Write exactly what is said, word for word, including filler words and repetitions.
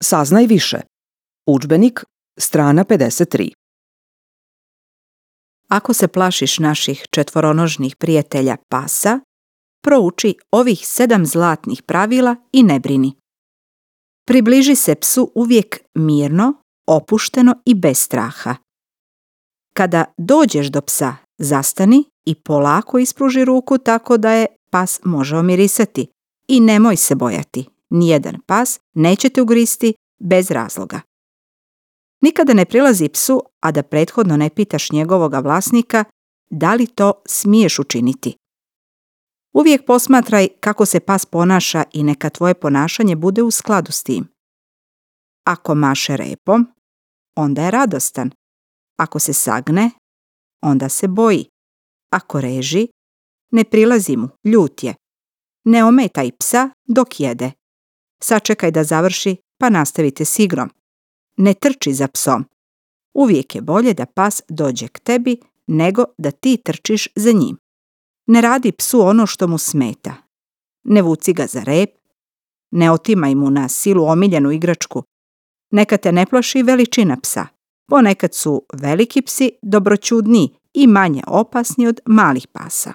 Saznaj više. Udžbenik, strana pedeset tri. Ako se plašiš naših četvoronožnih prijatelja pasa, prouči ovih sedam zlatnih pravila i ne brini. Približi se psu uvijek mirno, opušteno i bez straha. Kada dođeš do psa, zastani i polako ispruži ruku tako da je pas može omirisati i nemoj se bojati. Nijedan pas neće te ugristi bez razloga. Nikada ne prilazi psu, a da prethodno ne pitaš njegovoga vlasnika da li to smiješ učiniti. Uvijek posmatraj kako se pas ponaša i neka tvoje ponašanje bude u skladu s tim. Ako maše repom, onda je radostan. Ako se sagne, onda se boji. Ako reži, ne prilazi mu, ljut je. Ne ometaj psa dok jede. Sačekaj da završi, pa nastavite s igrom. Ne trči za psom. Uvijek je bolje da pas dođe k tebi nego da ti trčiš za njim. Ne radi psu ono što mu smeta. Ne vuci ga za rep. Ne otimaj mu na silu omiljenu igračku. Neka te ne plaši veličina psa. Ponekad su veliki psi dobroćudniji i manje opasni od malih pasa.